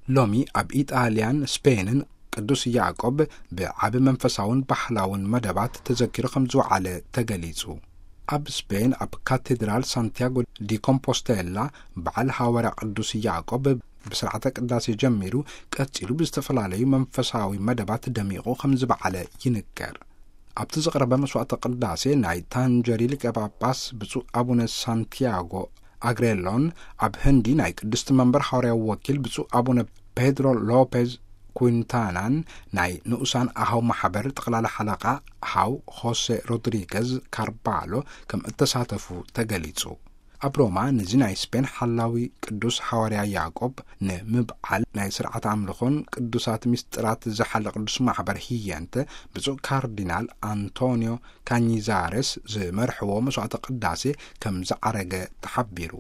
ሎሚ ኣብ ኢጣልያን ስፔንን ቅዱስ ያዕቆብ ብዓቢ መንፈሳውን ባህላውን መደባት ተዘኪሩ ከም ዝወዓለ ተገሊጹ። ኣብ ስፔን ኣብ ካቴድራል ሳንቲያጎ ዲ ኮምፖስቴላ በዓል ሃዋርያ ቅዱስ ያዕቆብ ብስርዓተ ቅዳሴ ጀሚሩ፣ ቀጺሉ ብዝተፈላለዩ መንፈሳዊ መደባት ደሚቑ ከም ዝበዓለ ይንገር። ኣብቲ ዝቕረበ መስዋዕተ ቅዳሴ ናይ ታንጀሪ ሊቀ ጳጳስ ብፁዕ ኣቡነ ሳንቲያጎ ኣግሬሎን፣ ኣብ ህንዲ ናይ ቅድስቲ መንበር ሃዋርያዊ ወኪል ብፁዕ ኣቡነ ፔድሮ ሎፔዝ ኩንታናን ናይ ንኡሳን ኣሃው ማሕበር ጠቕላላ ሓለቓ ሃው ሆሴ ሮድሪገዝ ካርባሎ ከም እተሳተፉ ተገሊጹ። ኣብ ሮማ ነዚ ናይ ስፔን ሓላዊ ቅዱስ ሃዋርያ ያዕቆብ ንምብዓል ናይ ስርዓት ኣምልኾን ቅዱሳት ምስጢራት ዝሓለ ቅዱስ ማሕበር ህየንተ ብፁዕ ካርዲናል ኣንቶኒዮ ካኒዛሬስ ዝመርሕዎ መስዋዕተ ቅዳሴ ከም ዝዓረገ ተሓቢሩ።